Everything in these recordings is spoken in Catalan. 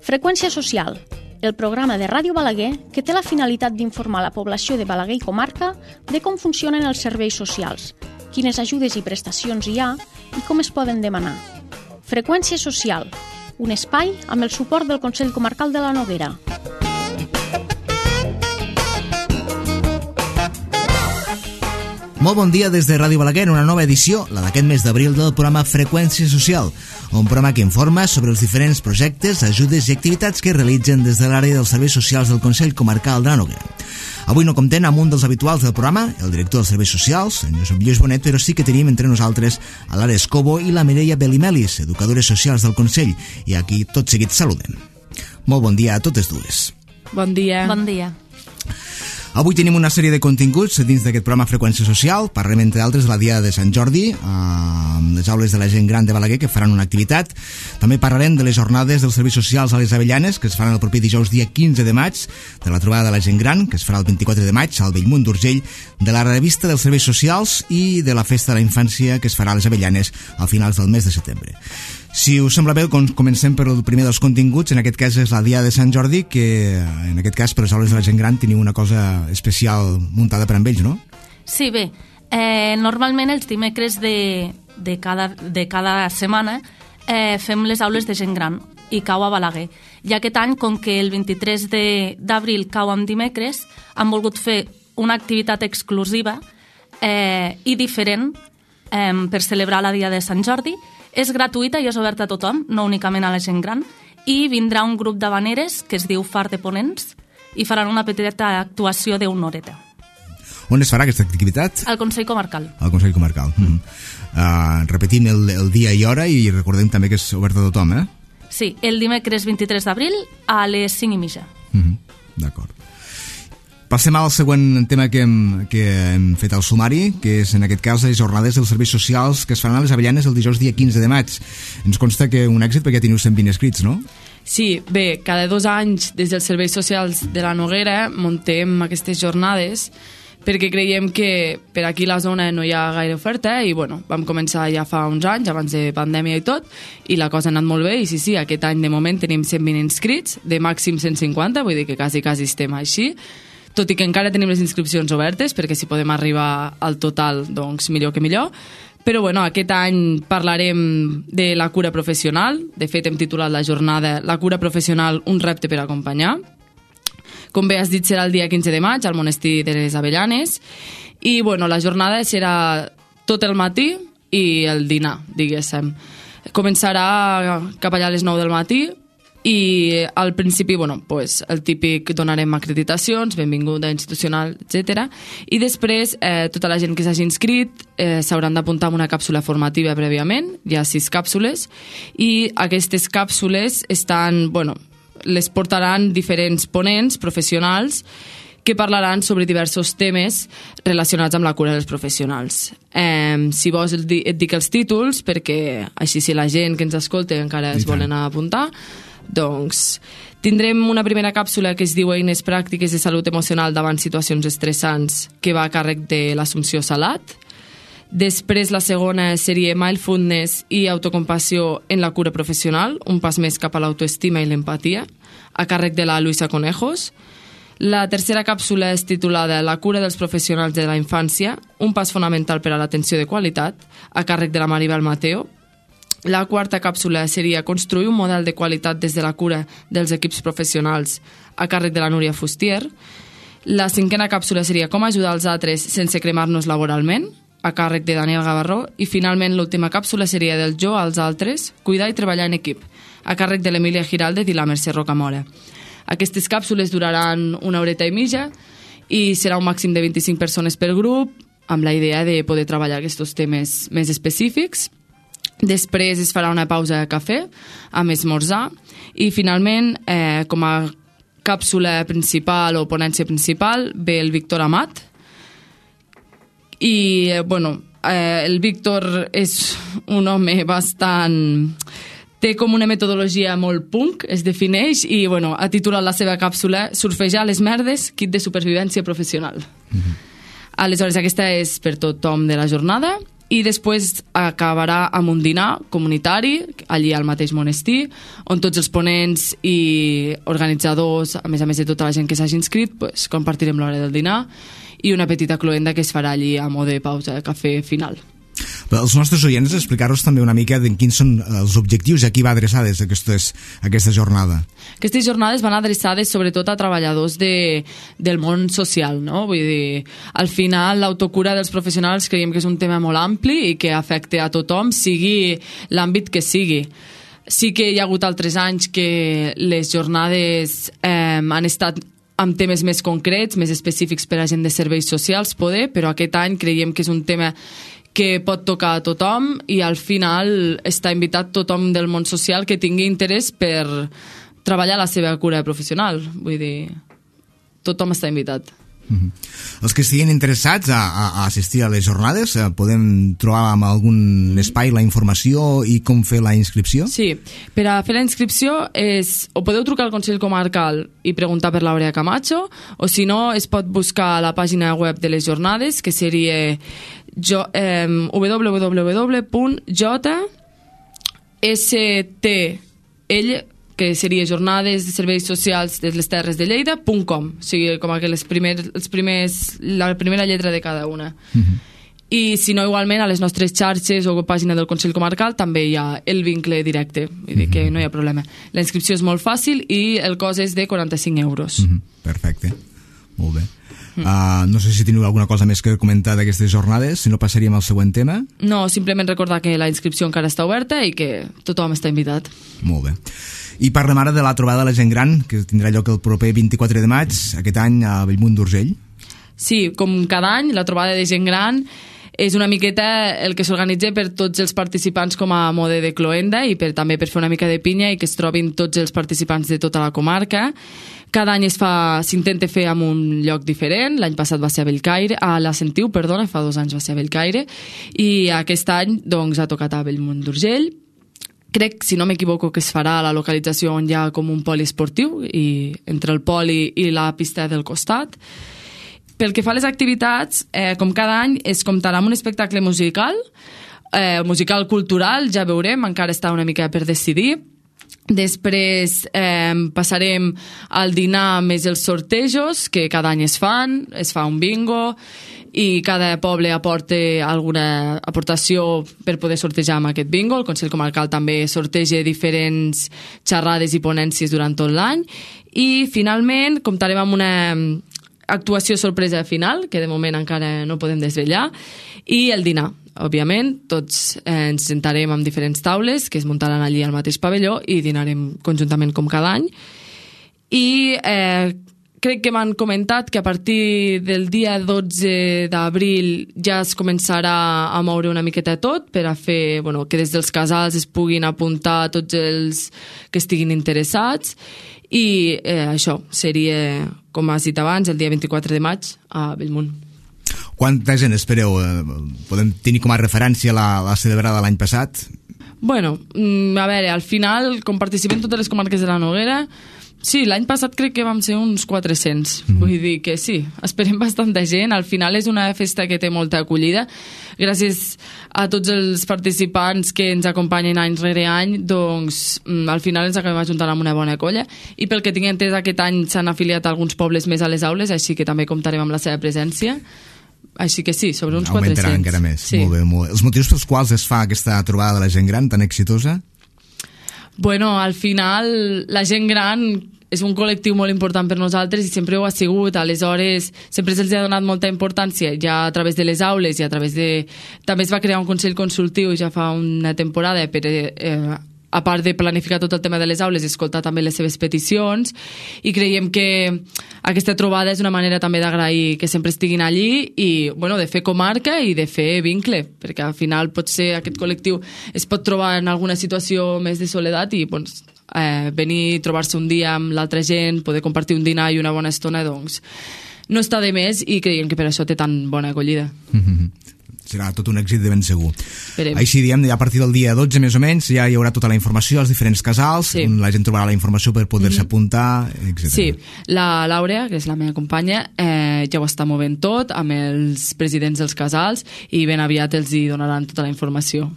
Freqüència social, el programa de Ràdio Balaguer que té la finalitat d'informar la població de Balaguer i comarca de com funcionen els serveis socials, quines ajudes i prestacions hi ha i com es poden demanar. Freqüència social, un espai amb el suport del Consell Comarcal de la Noguera. Molt bon dia des de Ràdio Balaguer, una nova edició, la d'aquest mes d'abril, del programa Freqüència Social, un programa que informa sobre els diferents projectes, ajudes i activitats que realitzen des de l'àrea dels serveis socials del Consell Comarcal de la Noguera. Avui no comptem amb un dels habituals del programa, el director dels serveis socials, en Josep Lluís Bonet, però sí que tenim entre nosaltres a l'Ara Escobo i la Mireia Belimelis, educadores socials del Consell, i aquí tot seguit saludem. Molt bon dia a totes dues. Bon dia. Bon dia. Avui tenim una sèrie de continguts dins d'aquest programa Freqüència Social. Parlem, entre altres, de la Diada de Sant Jordi, amb les aules de la gent gran de Balaguer, que faran una activitat. També parlarem de les jornades dels serveis socials a les Avellanes, que es faran el proper dijous dia 15 de maig, de la trobada de la gent gran, que es farà el 24 de maig al Bellmunt d'Urgell, de la revista dels serveis socials i de la festa de la infància, que es farà a les Avellanes a finals del mes de setembre. Si us sembla bé, comencem per el primer dels continguts. En aquest cas és la Diada de Sant Jordi, que en aquest cas per les aules de la gent gran teniu una cosa especial muntada per amb ells, no? Sí, bé, normalment els dimecres de cada setmana fem les aules de gent gran i cau a Balaguer. I aquest any, com que el 23 d'abril cau en dimecres, han volgut fer una activitat exclusiva i diferent per celebrar la Diada de Sant Jordi. És gratuïta i és oberta a tothom, no únicament a la gent gran, i vindrà un grup d'habaneres que es diu Far de Ponents i faran una petita actuació d'una horeta. On es farà aquesta activitat? Al Consell Comarcal. Al Consell Comarcal. Repetim el dia i hora i recordem també que és oberta a tothom, eh? Sí, el dimecres 23 d'abril a les 5:30. D'acord. Passem al següent tema que hem fet al sumari, que és en aquest cas les jornades dels serveis socials que es faran a les Avellanes el dijous dia 15 de maig. Ens consta que un èxit perquè teniu 120 escrits, no? Sí, bé, cada 2 anys des dels serveis socials de la Noguera muntem aquestes jornades perquè creiem que per aquí a la zona no hi ha gaire oferta i bueno, vam començar ja fa uns anys, abans de pandèmia i tot, i la cosa ha anat molt bé i sí, aquest any de moment tenim 120 inscrits, de màxim 150, vull dir que quasi estem així, tot i que encara tenim les inscripcions obertes, perquè si podem arribar al total, doncs millor que millor. Però bueno, aquest any parlarem de la cura professional. De fet, hem titulat la jornada La cura professional, un repte per acompanyar. Com bé has dit, serà el dia 15 de maig al monestir de les Avellanes. I bueno, la jornada serà tot el matí i el dinar, diguéssim. Començarà cap allà a les 9 del matí, i al principi, bueno, pues, el típic donarem acreditacions, benvinguda institucional, etc. I després tota la gent que s'hagi inscrit s'hauran d'apuntar amb una càpsula formativa prèviament, hi ha 6 càpsules, i aquestes càpsules les portaran diferents ponents professionals que parlaran sobre diversos temes relacionats amb la cura dels professionals. Si vols et dic els títols, perquè així si la gent que ens escolta encara es volen apuntar. Doncs tindrem una primera càpsula que es diu Eines pràctiques de salut emocional davant situacions estressants, que va a càrrec de l'Assumpció Salat. Després la segona seria Mindfulness i autocompassió en la cura professional, un pas més cap a l'autoestima i l'empatia, a càrrec de la Luisa Conejos. La tercera càpsula és titulada La cura dels professionals de la infància, un pas fonamental per a l'atenció de qualitat, a càrrec de la Maribel Mateo. La quarta càpsula seria Construir un model de qualitat des de la cura dels equips professionals, a càrrec de la Núria Fustier. La cinquena càpsula seria Com ajudar els altres sense cremar-nos laboralment, a càrrec de Daniel Gavarró. I finalment l'última càpsula seria Del jo als altres, cuidar i treballar en equip, a càrrec de l'Emília Giraldez i la Mercè Rocamora. Aquestes càpsules duraran 1 horeta i mitja i serà un màxim de 25 persones per grup, amb la idea de poder treballar aquests temes més específics. Després es farà una pausa de cafè amb esmorzar i finalment com a càpsula principal o ponència principal ve el Víctor Amat i el Víctor és un home bastant... té com una metodologia molt punk, es defineix i ha titulat la seva càpsula Surfejar les merdes, kit de supervivència professional. Aleshores aquesta és per tothom de la jornada i després acabarà amb un dinar comunitari allí al mateix monestir, on tots els ponents i organitzadors, a més de tota la gent que s'hagi inscrit, pues, compartirem l'hora del dinar i una petita cloenda que es farà allí a mode de pausa de cafè final. Per als nostres oients, explicar-nos també una mica de quins són els objectius i a qui va adreçades aquesta jornada. Aquestes jornades van adreçades sobretot a treballadors del món social, no? Vull dir, al final l'autocura dels professionals creiem que és un tema molt ampli i que afecta a tothom, sigui l'àmbit que sigui. Sí que hi ha hagut altres anys que les jornades han estat amb temes més concrets, més específics per a gent de serveis socials, però aquest any creiem que és un tema que pot tocar a tothom i al final està invitat tothom del món social que tingui interès per treballar la seva cura professional. Vull dir, tothom està invitat. Els que estiguin interessats a assistir a les jornades, podem trobar en algun espai la informació i com fer la inscripció? Sí, per a fer la inscripció o podeu trucar al Consell Comarcal i preguntar per l'Aurea Camacho, o si no es pot buscar a la pàgina web de les jornades, que seria www.jstl, que seria Jornades de Serveis Socials de les Terres de Lleida.com, o sigui, com que la primera lletra de cada una. I si no, igualment a les nostres xarxes o pàgina del Consell Comarcal també hi ha el vincle directe, vull dir que no hi ha problema. La inscripció és molt fàcil i el cost és de 45 euros. Perfecte, molt bé. No sé si teniu alguna cosa més que comentar d'aquestes jornades, si no passaríem al següent tema. No, simplement recordar que la inscripció encara està oberta i que tothom està invitat. Molt bé. I parlem ara de la trobada de la gent gran, que tindrà lloc el proper 24 de maig, aquest any a Bellmunt d'Urgell. Sí, com cada any, la trobada de gent gran és una miqueta el que s'organitza per tots els participants com a mode de cloenda i també per fer una mica de pinya i que es trobin tots els participants de tota la comarca. Cada any s'intenta fer en un lloc diferent. L'any passat va ser a Bellcaire, a la Sentiu, perdona, fa 2 anys va ser a Bellcaire, i aquest any doncs, ha tocat a Bellmunt d'Urgell. Crec, si no m'equivoco, que es farà a la localització on hi ha com un poli esportiu, i entre el poli i la pista del costat. Pel que fa a les activitats, com cada any, es comptarà amb un espectacle musical cultural, ja veurem, encara està una mica per decidir. Després passarem al dinar més els sortejos, que cada any es fa un bingo, i cada poble aporta alguna aportació per poder sortejar amb aquest bingo. El Consell Comarcal també sorteja diferents xerrades i ponències durant tot l'any. I finalment comptarem amb una actuació sorpresa final, que de moment encara no podem desvetllar, i el dinar. Òbviament, tots ens sentarem en diferents taules que es muntaran allí al mateix pavelló i dinarem conjuntament com cada any. I crec que m'han comentat que a partir del dia 12 d'abril ja es començarà a moure una miqueta tot per a fer que des dels casals es puguin apuntar tots els que estiguin interessats. I això seria, com has dit abans, el dia 24 de maig a Bellmunt. Quanta gent espereu? Podem tenir com a referència la celebrada l'any passat? Bueno, a veure, al final, com participem totes les comarques de la Noguera, sí, l'any passat crec que vam ser uns 400. Vull dir que sí, esperem bastanta gent. Al final és una festa que té molta acollida. Gràcies a tots els participants que ens acompanyen any rere any, doncs al final ens acabem ajuntant amb una bona colla. I pel que tinc entès, aquest any s'han afiliat alguns pobles més a les aules, així que també comptarem amb la seva presència. Així que sí, sobre uns 400. Augmentarà encara més. Sí. Molt bé, molt bé. Els motius pels quals es fa aquesta trobada de la gent gran tan exitosa? Bueno, al final la gent gran és un col·lectiu molt important per nosaltres i sempre ho ha sigut. Aleshores, sempre se'ls ha donat molta importància ja a través de les aules i a través de... També es va crear un consell consultiu ja fa una temporada per a part de planificar tot el tema de les aules, escoltar també les seves peticions, i creiem que aquesta trobada és una manera també d'agrair que sempre estiguin allí i de fer comarca i de fer vincle, perquè al final potser aquest col·lectiu es pot trobar en alguna situació més de soledat i venir, trobar-se un dia amb l'altra gent, poder compartir un dinar i una bona estona, doncs no està de més, i creiem que per això té tan bona acollida. serà tot un èxit de ben segur. Esperem. Així diem, a partir del dia 12 més o menys ja hi haurà tota la informació als diferents casals, Sí. on la gent trobarà la informació per poder-se apuntar, etc. Sí, la Laura, que és la meva companya, ja ho està movent tot amb els presidents dels casals i ben aviat els hi donaran tota la informació.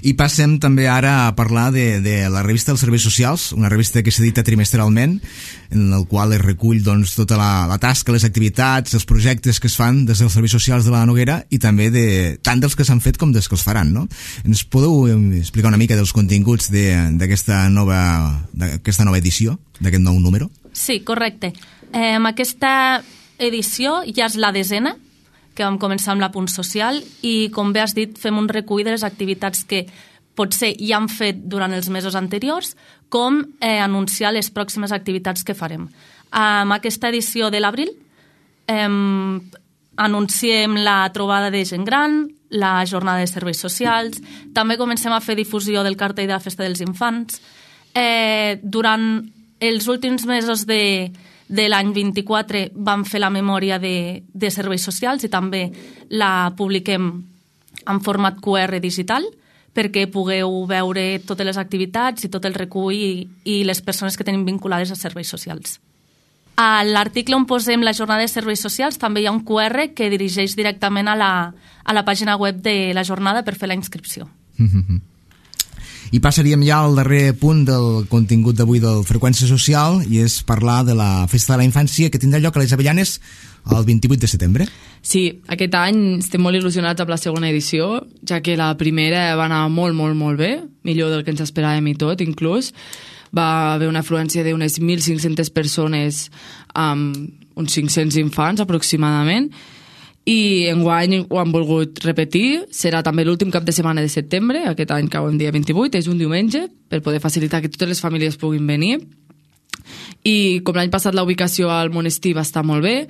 I passem també ara a parlar de la revista dels Serveis Socials, una revista que s'edita trimestralment, en el qual es recull doncs, tota la tasca, les activitats, els projectes que es fan des dels Serveis Socials de la Noguera i també tant dels que s'han fet com dels que els faran, no? Ens podeu explicar una mica dels continguts d'aquesta nova edició, d'aquest nou número? Sí, correcte. Aquesta edició ja és la 10ª, que vam començar amb la Punt Social, i com bé has dit, fem un recull de les activitats que potser ja han fet durant els mesos anteriors, com anunciar les pròximes activitats que farem. Amb aquesta edició de l'abril anunciem la trobada de gent gran, la jornada de serveis socials, també comencem a fer difusió del cartell de la Festa dels Infants. Durant els últims mesos de l'any 24 vam fer la memòria de serveis socials i també la publiquem en format QR digital perquè pugueu veure totes les activitats i tot el recull i les persones que tenim vinculades a serveis socials. A l'article on posem la jornada de serveis socials també hi ha un QR que dirigeix directament a la pàgina web de la jornada per fer la inscripció. I passaríem ja al darrer punt del contingut d'avui del Freqüència Social i és parlar de la Festa de la Infància que tindrà lloc a les Avellanes el 28 de setembre. Sí, aquest any estem molt il·lusionats amb la segona edició, ja que la primera va anar molt, molt, molt bé, millor del que ens esperàvem i tot, inclús. Va haver una afluència d'unes 1.500 persones amb uns 500 infants aproximadament, i enguany ho han volgut repetir. Serà també l'últim cap de setmana de setembre, aquest any cau el dia 28, és un diumenge, per poder facilitar que totes les famílies puguin venir. I com l'any passat la ubicació al monestir va estar molt bé,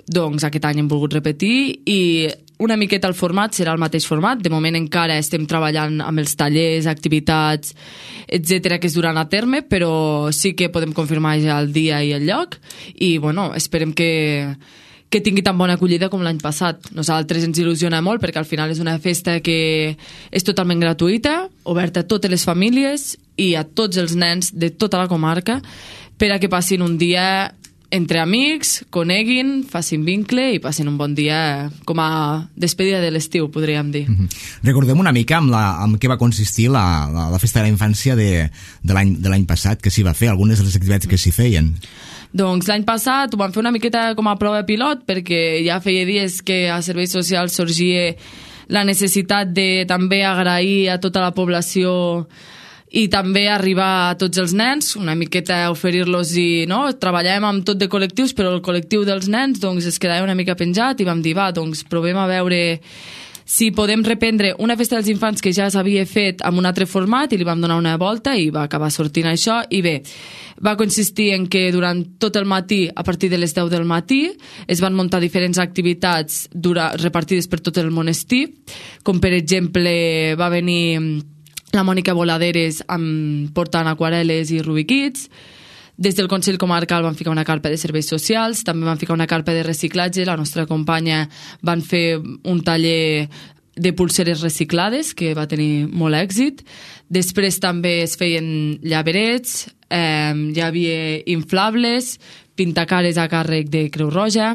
doncs aquest any hem volgut repetir i una miqueta el format serà el mateix format. De moment encara estem treballant amb els tallers, activitats, etc que es duran a terme, però sí que podem confirmar ja el dia i el lloc i bueno, esperem que tingui tan bona acollida com l'any passat. Nosaltres ens il·lusiona molt perquè al final és una festa que és totalment gratuïta, oberta a totes les famílies i a tots els nens de tota la comarca per a que passin un dia entre amics, coneguin, facin vincle i passin un bon dia com a despedida de l'estiu, podríem dir. Recordem una mica amb què va consistir la Festa de la Infància de l'any passat, que s'hi va fer, algunes de les activitats que s'hi feien. Doncs l'any passat ho vam fer una miqueta com a prova pilot perquè ja feia dies que a Serveis Socials sorgia la necessitat de també agrair a tota la població i també arribar a tots els nens, una miqueta oferir-los i no? Treballàvem amb tot de col·lectius, però el col·lectiu dels nens doncs, es quedava una mica penjat i vam dir, va, doncs provem a veure si podem reprendre una festa dels infants que ja s'havia fet amb un altre format i li vam donar una volta i va acabar sortint això i bé, va consistir en que durant tot el matí, a partir de les 10 del matí, es van muntar diferents activitats repartides per tot el monestir, com per exemple va venir la Mònica Voladeres portant aquarel·les i rubiquits. Des del Consell Comarcal van ficar una carpa de serveis socials, també van ficar una carpa de reciclatge, la nostra companya van fer un taller de pulseres reciclades que va tenir molt èxit. Després també es feien llaverets, hi havia inflables, pintacares a càrrec de Creu Roja.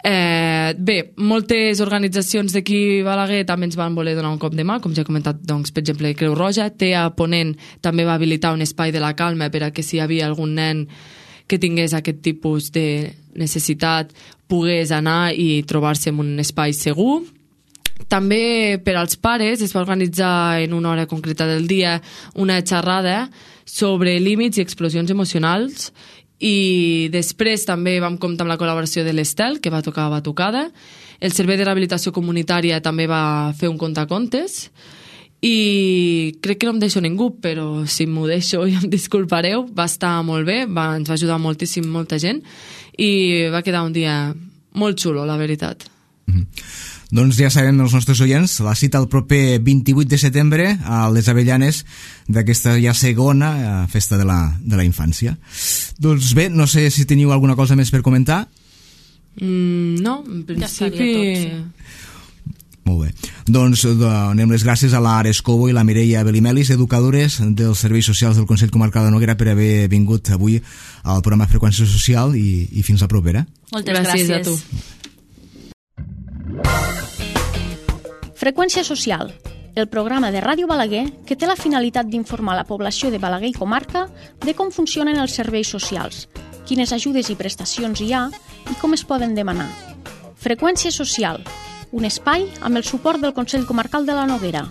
Bé, moltes organitzacions d'aquí Balaguer també ens van voler donar un cop de mà, com ja he comentat, doncs, per exemple, Creu Roja. TEA Ponent també va habilitar un espai de la calma per a que si hi havia algun nen que tingués aquest tipus de necessitat pogués anar i trobar-se en un espai segur. També per als pares es va organitzar en una hora concreta del dia una xerrada sobre límits i explosions emocionals i després també vam comptar amb la col·laboració de l'Estel, que va tocar batucada. El Servei de Rehabilitació Comunitària també va fer un contacontes i crec que no em deixo ningú, però si m'ho deixo ja em disculpareu. Va estar molt bé, ens va ajudar moltíssim molta gent i va quedar un dia molt xulo, la veritat. Doncs ja sabem els nostres oients, la cita el proper 28 de setembre a les Avellanes d'aquesta ja segona festa de la infància. Doncs bé, no sé si teniu alguna cosa més per comentar. No, en principi... Ja estaria tot, sí. Molt bé. Doncs donem les gràcies a la Ares Cobo i la Mireia Belimelis, educadores dels Serveis Socials del Consell Comarcal de Noguera, per haver vingut avui al programa Freqüència Social i fins la propera. Moltes gràcies a tu. Freqüència Social, el programa de Ràdio Balaguer que té la finalitat d'informar la població de Balaguer i comarca de com funcionen els serveis socials, quines ajudes i prestacions hi ha i com es poden demanar. Freqüència Social, un espai amb el suport del Consell Comarcal de la Noguera.